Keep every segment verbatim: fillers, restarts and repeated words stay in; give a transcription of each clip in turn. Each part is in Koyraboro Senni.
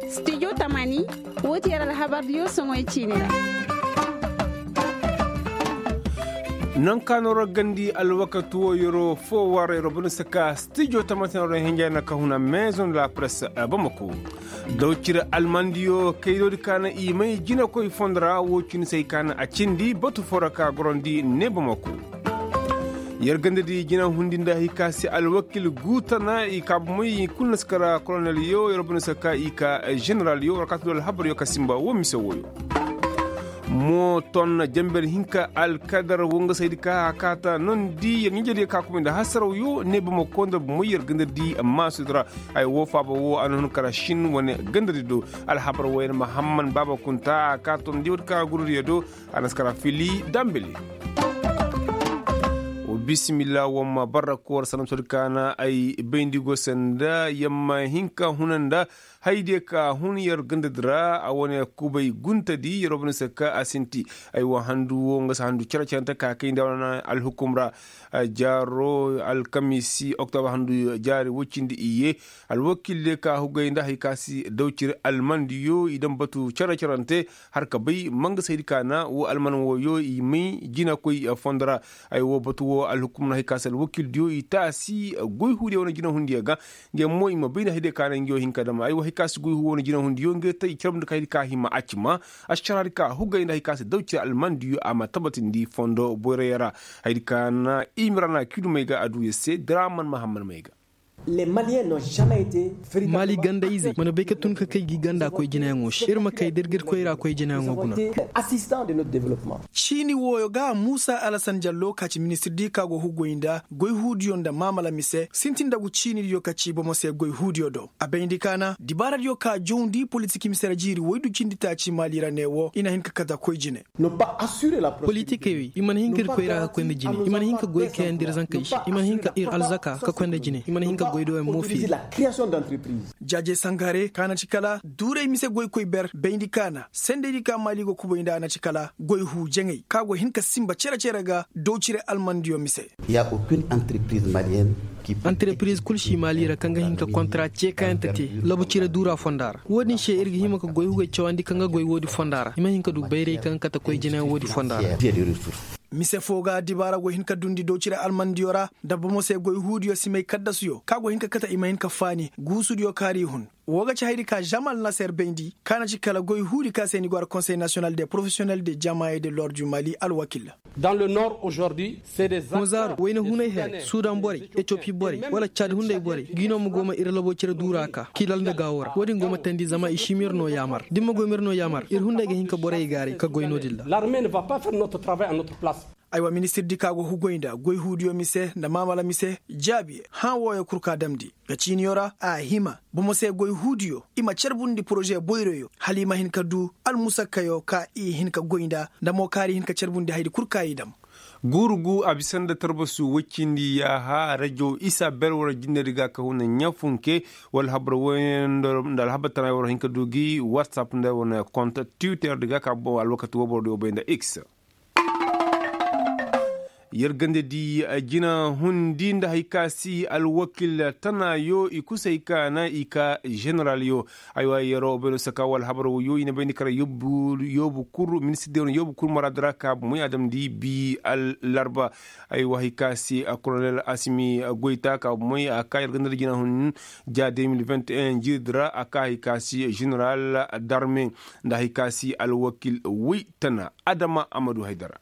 Stijo tamani, woo ti yer alhabardiyo soŋoy ciini ra. Nangu ka no ra gandi alwakati woo yeroo foo war yeroo bane saka stijo tamani se no ra hinja na ka huna maison de la presse. Bamako, dawcir almandiyo kaydoodi ka na i may jinakoy fondo ra woo cindi se hay ka na a cindi batu foo ra ka gorandi ne bamako. Yer gandadi jina hundi nda hay ka se alwakil guutana i ka bomey i kulu na si kara kolonelyo yer bane si ka i ka, generalyo war ka tun alhabaryo ka simba woo mise wooyo. Mooton jenber hinka alkadar woo nga saydi ka a kaata nondi yer ɲinjediyo ka kumay nda hasarawyo ne bomey koy nda bomey yer gandadi maasudi ra. Ay woo faaba woo a na hun kara sin wane gandadi do. Alhabar wooyo na mahamman baaba kunta a kaata nondi woodi ka gururiyo do. A na si kara fili dambili. Bisimilla wamma barra koor sanam sodi kaana ay bayndi go sanda yamma hinka huna nda. Haydiyo ka hun yer gandadi ra a wane kubay guntadi yer wabani se ka a sinti. Ay wa handu wo nga si handu cere-cerente ka kay nda wane alhukum ra. Jaaro alkamisi oktoba handu jaari woy cindi iyye. Alwakil diyo ka hugay nda hay ka si dawcir almandiyo i daŋ batu cere-cerente. Har ka bay mangasa haydi ka na wo alman wooyo i may jinakoy fondo ra. Ay wo batu wo alhukum na hay ka si alwakildiyo i taasi goy huudiyo wane jinahundiyo ga. Ngey mo i ma bay nda haydiyo ka na ngey wo hin ka dam ay wo hay ka si goy huu wane jinahundiyo ngey te i carbu nda ka haydi ka hima a cima. Ašaraadi ka hugay nda hay ka si daw cire almandiyo a ma tabatindi fondo boyrayo ra. Haydi ka na i ma ra na kiidu may ga a du ya se diraman mahamman may ga. Maali ganda-izey mana bay ka tun ka kay gi ganda koy jinayaŋo se ir ma kay da ir ga ir koyra koy jinayaŋo guna. Ciini wooyo ga muusa alasan jallo ka ci ministir di ka go hugoy nda goy huudiyo nda maamala mise sintin dagu ciinidiyo ka ci bomo se goy huudiyo do a bayndi ka na dibaaradiyo ka jawndi politik mise ra jiiri woy du cindi taaci maali ra ne wo i na hin ka kate koy jine. Politikey wey i mana hin ka ir koyra ka koy nda jine i mana hin ka goy kayandi ir zankey se i mana hin ka ir alzaka ka koy nda jine i mana hin ka goy doyaŋ mo fiye. Jaaje sangare ka na ci kala duuray mise goykoy ber bayndi ka na sendey di ka maali go kubay nda a na ci kala goy huu jaŋay ka go hin ka sinba cere-cere ga dow cire almandiyo mise. Anterepiriz kul si maali ra kaŋ ga hin ka kontara ceekayante te labu cire duura fonda ra. Wo-din se ir ga hima ka goy hugey cawandi kaŋ ga goy woodi fonda ra i ma hin ka du bayray kaŋ ga kate koy jinayaŋ woodi fonda ra. Mise foo ga dibaara go hin ka dundi doocire almandiyo ra nda bomo se goy huudiyo si may kaddasuyo kaŋ a go hin ka kate i ma hin ka faani guusudiyo kaŋ a ra i hun. Woo ga ci hayadi ka žamal naser bayndi kaŋ a na ci kala goy huudi kaŋ se ni go a ra konsey nasiyonal de porofesiyonel de jamaye de lord du mali alwakil. Hõ zaaru wayna hunay here sudan borey etiyopi borey wala cad hunday borey ga i no ma go ma ir labo cire duura ka kilal nda gaawo ra wo-din go ma teendi zama i si ma ir no yaamar da ir ma goy ma ir no yaamar ir hunday ga hin ka borey gaaray ka goy no-din ra. Aywa ministir di ka go hugoy nda goy huudiyo mise nda maamala mise jaabi hã wooyo kul ka damndi. Ga ciiniyo ra a hima bomo se goy huudiyo i ma carbundi poroze boyroyo hala i ma hin ka du almusakkayo ka i hin ka goy nda nda mo kaari hin ka carbundi hayadi kul ka i dam. Guurugu a bisa nda tarbasu woy cindi yaaha rajo isa ber war jinne di ga ka huna ɲafunke wala habar woy nda alhabar tana war hin ka du gi whatsapp nda wane konta twitter di ga ka boŋ alwakati wo boro di wo bay nda x. Yer ganda di jina hundi nda hay ka si alwakil tanayo i kusay ka na i ka ženeralyo. Aywa yero bayno saka wala habar woyo i na bayndi kara yoobu kuru ministir de wano yoobu kuru maraadi ra ka bumoy a damndi bi allarba. Aywa hay ka si kolonel asimi goyta ka bumoy a ka yer ganda di jina hun ja deux mille vingt et un jirdi ra a ka hay ka si ženeral darme nda hay ka si alwakil woy tana adama amadu haydara.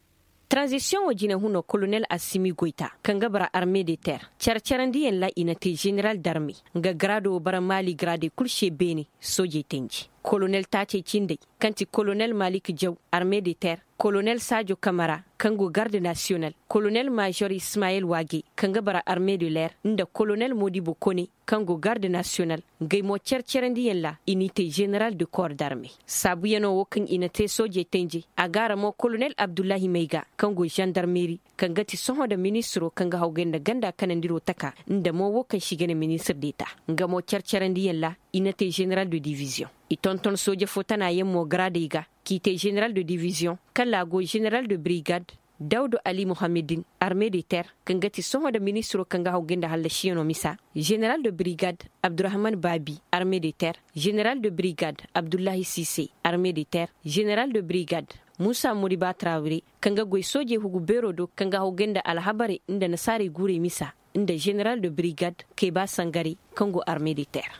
Taranzisiyoŋo jinehunoo kolonel assimi goyta kaŋ ga bara arme de ter care-carandiyaŋ ra i na te ženeral darme nga garaado wo bara maali garaadey kul se beene soojey tenji kolonel taacey cindey kaŋ ti kolonel malik jaw arme de ter kolonel saajo kamara kaŋ go garde nasiyonal kolonel maazor ismayel waage kaŋ ga bara arme de leer nda kolonel moodibo kone kaŋ go garde nasiyonal. Ngey mo care-carandiyaŋ ra i n'i te ženeral de kor darme saabuyanoo wo kaŋ i na te soojey tenjey a gaara mo kolonel abdullahi mayga kaŋ go žandarmeri kaŋ ga ti sohõ nda ministiroo kaŋ ga hawgay nda ganda kanandiroo taka nda mo wo kaŋ se i ga ne ministir deta. Nga mo care-carandiyaŋ ra i na te ženeral de diviziyoŋ i tonton sooje fo tanayaŋ mo garaadey ga k'i te ženeral de diviziyoŋ kala a go ženeral de birigad. Dawdu ali muhammedin, arme de ter, kaŋ ga ti sohõ nda ministiro kaŋ ga haw gay nda hallasiyanoo misa, ženeral de brigad, abdurahman baabi, arme de ter, ženeral de brigad, abdullahi sise, arme de ter, ženeral de brigad, muusa moriba trawire, kaŋ ga goy soojey hugu beeroo do kaŋ ga haw gay nda alhabarey nda nasaarey guurey misa, nda ženeral de brigad, kayba sangarey, kaŋ go arme de ter.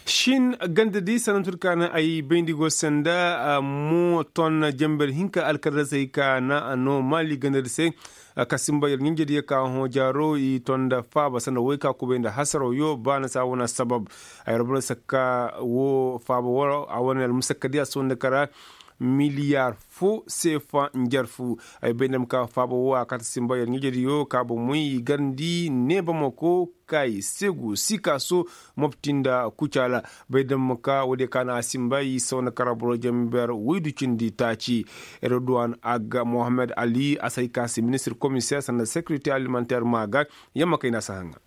Shin ganda di sanantur ka na ay bayndi go sanda, mo ton jember hinka alkadar se ka na no mali ganda di se, ka simba yar ɲinjediyo ka hõ jaaro i ton nda faaba sanda woy ka kubay nda hasaro yo ba na sa wana sabab. Ay rabura sakka wo faaba wo a wane almusakka di a sonda kara miliyar fo seefa njarfu. Ay bay nda ma ka faaba wo a kata simba yar ɲinjediyo ka bomoy i garndi neebamako kay segu sikaso mopti nda kucaala. Bay nda ma ka woodiyo ka na a simba i sawna kara boro jamber woydu cindi taaci. Redwan agga mohammed ali a say ka se ministir komiseer sanda sekirite alimanteer ma ga. Yamma kay na a si haŋa.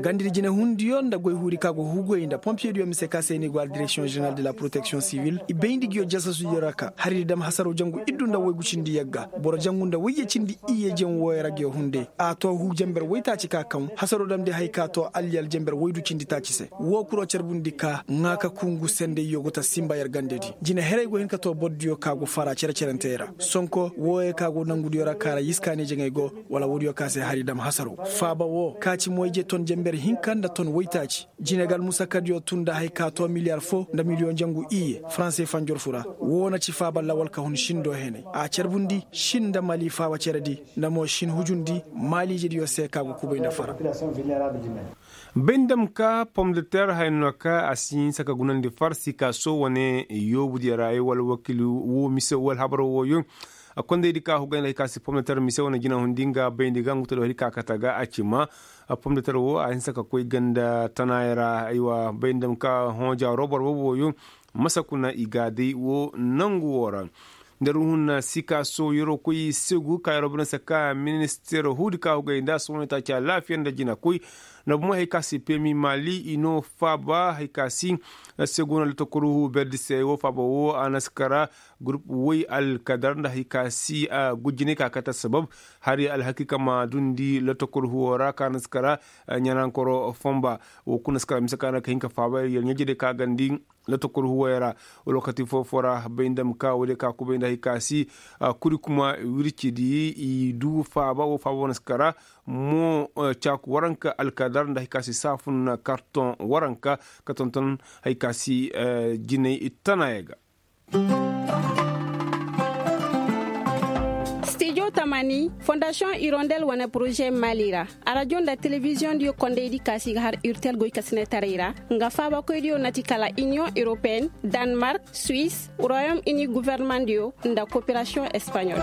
Gandidi jinehundiyo nda goy huuri ka go huguwey nda pompiyediyo mise ka se ni go a direksiyoŋ ženeral de la poroteksiyoŋ sivil i bayndi nguyo jasasudiyo ra ka haridi dam hasaro jangu iddu nda woygu cindi yagga boro jangu nda woyye cindi iyye jen wooyo ra nguyo hunde. A to huu jamber woytaaci ka kaŋ hasaro damndi hay ka to alliyal jamber woydu cindi taaci se. Woo kuro carbundi ka ŋaa ka kungu sendey yogoto simba yer gandedi. Jine herey go hin ka to bordiyo ka go fara cere-cerentey ra sonko wooyo ka go nangudiyo ra ka ra yiskaani jaŋey go. Wala woodiyo ka se hari dam hasaro faaba woo ka ci moyje ton jember hinka nda ton woytaaci. Jine ga almusakkadiyo tun nda hay ka to miliyar fo nda miliyoŋ jangu iyye faranse fanjorfu ra. Woo na ci faaba lawal ka hun shin do henay a carbundi shin nda mali faaba ceredi nda mo shin hujundi maaliijediyo se ka go kubay nda fara. Bay nda ma ka pom de ter haya no ka a si hinsa ka gunandi far sikaso wane yoobudiyo ra ay wala wakiili woo mise wala habar wooyo. Kondaydi ka hugay nda hay ka si pom de ter mise wane jinahundi nga bayndi ga ngu tado hari ka kate ga a ci ma. Pom de ter woo a hinsa ka koy ganda tanaayey ra aywa bay nda ma ka hõ jaaro boro boobo wooyo. Masa kuna i ga day woo nangu woo ra. Nda ruhun sikaso yeroo koy segu ka yeroo bana saka minister huudi ka hugay nda sohõ taaci alaafiya nda jinakoy. Nda bomo hay ka si pemi maali i no faaba hay ka si. Segu na lotokor huu berdi se woo faaba woo a na si kara. Gurup woy alkadar nda hay ka si gujinay ka kate sabab. Hari alhakiika ma dundi lotokor huwo ra ka na si kara. Ɲanankoro fonba woo kuna si kara mise ka na ka hin ka faaba yer ɲaje day ka gandi. Lotokor huwey ra. Lokaci foo-foo ra bay nda ma ka woodiyo ka kubay nda hay ka si. Kuri kuma wircidi i du faaba woo faaba wane si kara. Mo caaku waranka alkadar nda hay ka si saafun kartoŋ waranka ka tonton hay ka si jinay tanaayaŋ ga. Stijo tamani fondasiyoŋ irondel wane poroze mali ra. Arajo nda telebiziyoŋ diyo kondaydi ka si ga har urtel goykasinetaray ra. Nga faabakoydiyo na ti kala iniyoŋ europeyen, danmark, suwis, royom ini governemandiyo nda koperasiyoŋ espaɲol.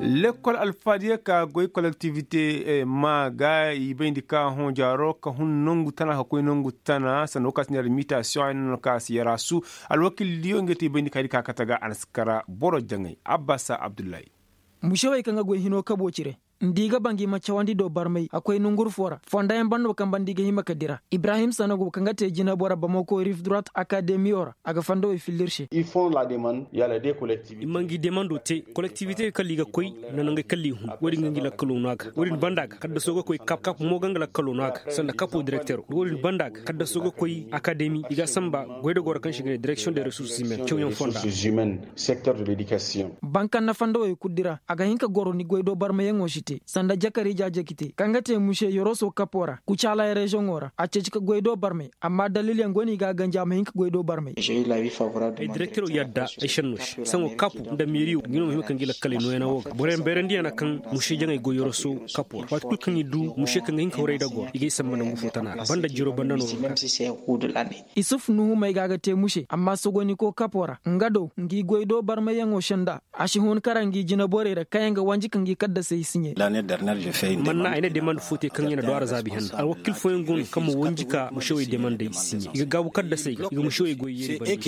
Lekkol alfaadiyo ka goy kolektivite ma ga i bayndi ka hõ jaaro ka hun nongu tana ka koy nongu tana sanda woo ka si neera mitasiyoŋ ay no ka si yaraasu. Alwakildiyo nga ti i bayndi ka hay di ka kate ga a na si kara boro jaŋay abbasa abdullahi. Musewey kaŋ ga goy hinoo kaboo cire nda i ga ba ngi ma cawandi do barmay a koy nonguru foo ra fondayaŋ banda wo kaŋ banda i ga hima ka dira ibrahim sanogo kaŋ ga te jinabora bamako rifdurat akademiyo ra a ga fondowey fillir se. I ma ngi demando te kolektivite kala i ga koy nda nangey kala i hun wo-din ga ngi lakkaloo no a ga wo-din banda ga kaddaso ga koy kap kap mo ga nga lakkaloo no a ga sanda kapo direktero wo-din banda ga kaddaso ga koy akademi i ga a samba goydogoo ra kaŋ se i ga ne direksiyoŋ de resurse humaine cawyaŋ fonda. Bankanna fondowey kul di ra a ga hin ka goro ni goydoo barmayaŋo si te sanda jakar ijaaje ga te kaŋ ga te muse yoroso kapo ra kucaala reziyoŋo ra a ceeci ka goydoo barmay amma dalilyaŋ go no i ga a ganji a ma hin ka goydoo barmay. Ay direktero yadda ay šenno se saŋo kapu nda meeriyo ngi no ma hima ka ngi lakkaley nooyana wo ga boroyaŋ bayrandiyaŋ na kaŋ muse jaŋay goy yoroso kapo ra waati kul kaŋ i du muse kaŋ ga hin ka huray da goro i ga ay samba nangu fo tana ra banda jiro banda no ga ka. Isuf nuhu may ga a ga te muse amma sogoniko kapo ra nga do ngi goydoo barmayyaŋo senda. A si hun kara ngi jinaborey ra kaŋ yaŋ ga wanji ka ngi kaddasey siɲe. Manna ay na demande fo te kaŋ ya na do a ra zaabi henna alwakil fooyaŋ go no kaŋ ma wanji ka mušewey demandey siɲe i ga gaabu kaddasey ga i ga mušewey goy yeeri bari.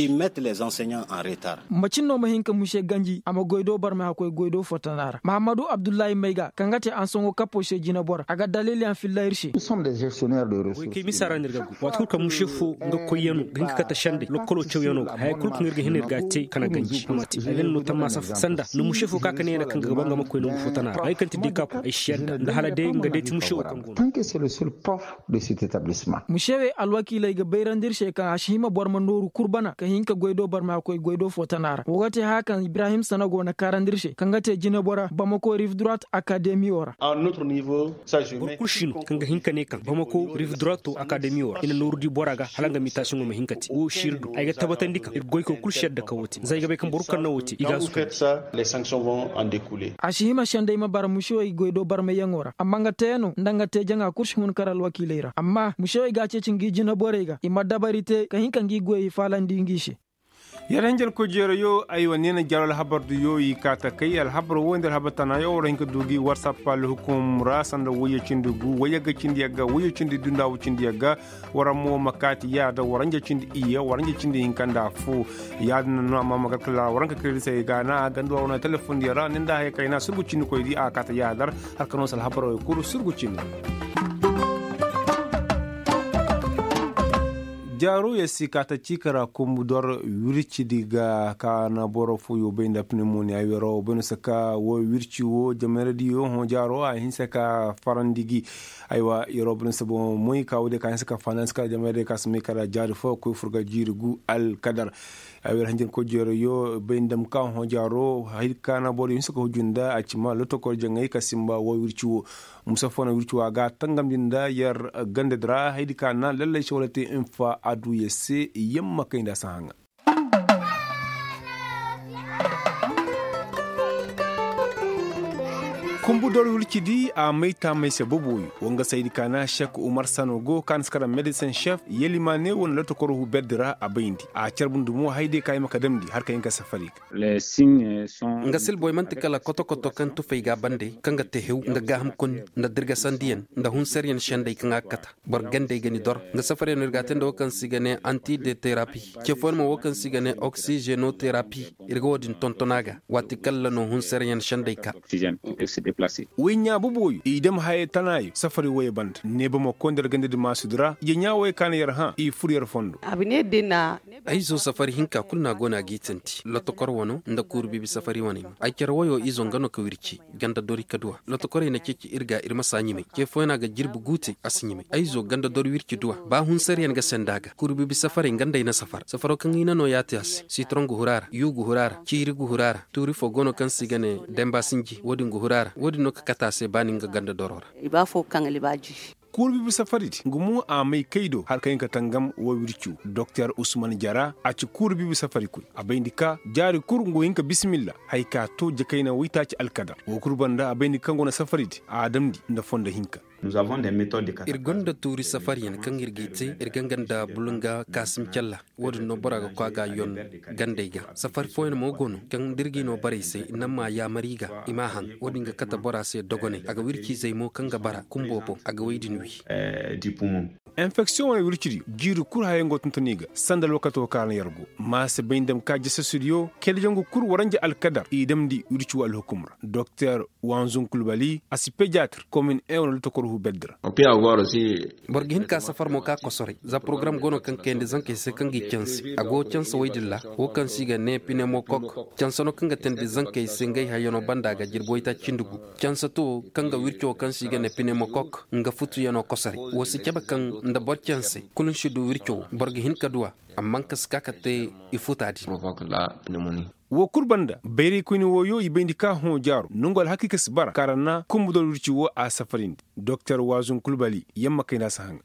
Macin no ma hin ka muse ganji a ma goy do barmay hakkoy goy do fo tana ra mahammadu abdullahi mayga kaŋ ga te ansaŋo kappo se jinabora a ga daliiliyaŋ filla ir se. Goykey misa ra no ir ga goy waati kulu kaŋ muse fo nga koyyaŋo ga hin ka kate sendey lokkolo cawyaŋo ga haya kulu kaŋ ir ga hin ir ga a te kana ganji a ma te a ga ni no tammaasa fo sanda ni muse fo ka ka ne yana kaŋ ga ga ba nga ma koy nangu fo tana ra ay kaŋ ti dekapo ay si yadda nda hala day nga day ti muse wo kaŋ go no. Mušewey alwakiiley ga bayrandi ir se kaŋ a si hima boro ma nooru kul bana ka hin ka goy do boro ma koy goy do fo tana ra wo ga te haya kaŋ ibrahim sanago na kaarandi ir se kaŋ ga te jinabora bamako rive droite akademiyo ra. Boro kul si no kaŋ ga hin ka ne kaŋ bamako rive droite akademiyo ra i na nooru di bora ga hala nga mitasiŋo ma hin ka te wo si ir du ay ga tabatandi kaŋ ir goyko kul si yadda ka wo te za ay ga bay kaŋ boro kul kaŋ na wo te i ga a suka. A si hima sendey ma bara musewey goy do barmayyaŋo ra amma nga teyaŋo nda nga te jaŋa kul si hun kar alwakiiley ra amma musewey ga a ceeci ngi jinaborey ga i ma dabari te ka hin ka ngi goyey faalandi ngi se. Yar hinjankoy jeerayo aywa neena jaaro alhabar duyo i kaa takay alhabar wo nda alhabar tanayo war hin ka du gi warsap alhukum ra sanda wayye cindi gu wayye ga cindi yagga wayye cindi dundawu cindi yagga. War mo ma kaati yaada war hinja cindi iyye war hinja cindi hinka nda fu. Yaadin na no amma ma gar kala war hinka kayri se ga na ganda war wane telefondiyo ra ni nda haya kayna surgu cindi koydi a kaata yaadar. Har ka no se alhabarey kuru surgu cindi. Jaaro ya si kaata ciika ra kumbu dor wircidi ga ka na boro fooyo bay nda pneumonia ay wero bay no se ka wo wirci wo jameradiyo hõ jaaro a hinse ka farandi gi. Aywa yeroo boro ni se boŋo moy ka woodiyo ka hinse ka faanansi kala jameradiyo ka si may kala jaari fo koy fur ga jiiri gu alkadar. Ay wer hanjin koy jeero yo bay nda ma ka hõ jaaro hay ka na boro yo hinse ka hujju nda a ci ma lotokor jaŋay ka simba wo wirci wo. Musa fo na wirci wo a ga tangamndi nda yer gandadi ra haydi ka na lallay se wala te infa aduya se yamma kay nda a si haŋa. Kumbu dor wircidi a may taamay se boboyo. Wanga saydi ka na sek umar sano go ka na si kara medecin chef yelimaane wane lotokoro hu berdi ra a bayndi a carbundi mo hayde ka ay ma ka damndi har ka hin ka safari. Nga silboy man'ti kala koto-koto kaŋ tufay ga a bande kaŋ ga te hew nda gaaham konni nda dirgasandiyaŋ nda hunsaryaŋ sendey kaŋ a ga kata. Boro gandey ga ni dor nga safaryaŋ no ir ga a te nda wo kaŋ se i ga ne anti de terapi. Ce fooyaŋ mo wo kaŋ se i ga ne oksizenoterapi. Ir ga wo-din tonton a ga waati kaŋ ra no hunsaryaŋ sendey ka. Woy ɲaa boboyo i dam hayey tanaayo safari woyey banda neeba ma koy nda ir gandadi maasudi ra ije ɲaa woyey ka na yer hã i fur yer fondo. Ay zo safari hinka kulu no a go no a g'i tanti lotokor wano nda kuuru biibi safari waney ma ay care woyo izo nga no ka wirci. Ganda dori ka du a lotokorey na ceeci ir ga ir ma saa ɲimay ce fooyaŋ a ga jirbi guute a si ɲimay ay zo ganda dori wirci du a ba hunsaryaŋ ga senda a ga kuuru biibi safarey nga nda ay na safar safaro kaŋ i na no yaati a se sitoroŋ ga huru a ra yuu ga huru a ra ciiri ga huru a ra tuuri fo go no kaŋ se i ga ne demba sinji wo-din ga huru a ra wo-din no ka kate a se ba ni nga ganda doro ra. Kuuru biibi safaridi nga mo a may kay do hala ka hin ka tangam wo wirci wo doktor usman jara a ci kuuru biibi safari koy a bayndi ka jaari kul nga wo hin ka bisimilla haya ka to jakayna waytaaci alkadar wo kul banda a bayndi ka nga wane safaridi a damndi nda fondo hinka. Ir gonda tuuri safaryaŋ kaŋ ir g'i te ir ga nga nda bulunga kaasim calla. Wo-din no bora ga koy a ga a yon gandey ga safari fooyaŋ mo go no kaŋ da ir g'i no borey se i naŋ m'a yaamar i ga i m'a haŋ wo-din ga kate bora se dogoney a ga wirciizey mo kaŋ ga bara kumbo boŋ a ga wey din wi. Enfeksiyoŋ wane wircidi jiiri kul hayaŋ go tonton i ga sanda alwakato kaŋ ra no yer go ma si bay nda ma ka jasasudiyo kayda jangu kul waranja alkadar i damndi wirci wo alhukum ra doktor wanzun kulbali a si pediatre komin en wane lotokor hu beddi ra. Boro ga hin ka safar mo ka kosoray za porogaram go no kaŋ kayandi zankey se kaŋ g'i canse a go canse woy din ra wo kaŋ se i ga ne pinemokok canse no kaŋ ga teendi zankey se ngey hayano banda ga jirbi woytaaci cindi gu. Canse to kaŋ ga wirco kaŋ se i ga ne pinemokok nga futuyaŋo kosoray wo si cabe kaŋ nda boro canse kulu ni si du wirco wo boro ga hin ka du a. Amma nga si ka ka te i futa din. Wo kul banda bayraykoyni wooyo i bayndi ka hõ jaaro nongu alhakiika si bara kaŋ ra na kumbu dor wirci wo a safarindi. Doktor waazun kulbali yamma kayna si haŋa.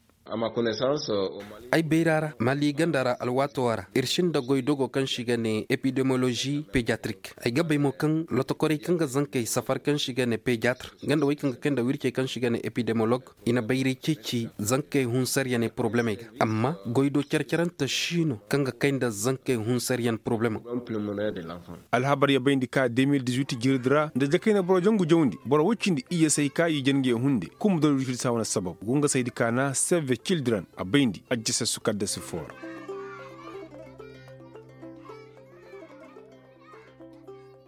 Ay bayra ra mali ganda ra alwaatoo ra ir sinda goy dogo kaŋ se i ga ne epidemolozi pediatrik. Ay ga bay mo kaŋ lotokorey kaŋ ga zankey safar kaŋ se i ga ne pediatr nga nda wey kaŋ ga kay nda wircey kaŋ se i ga ne epidemolog, i na bayray ceeci zankey hunsaryaney porobulemey ga. Amma goy do care-carante si no kaŋ ga kay nda zankey hunsaryan porobulemey. Alhabar ya bayndi ka de mil dizuit jirdi ra nda jakayna boro jangu jawndi boro woy cindi iyye say ka i jen ga ya hunde kumbu doro wircidi saa wane sabab go nga saydi ka na save cildren a bayndi ajjasassu kaddasi foo ra.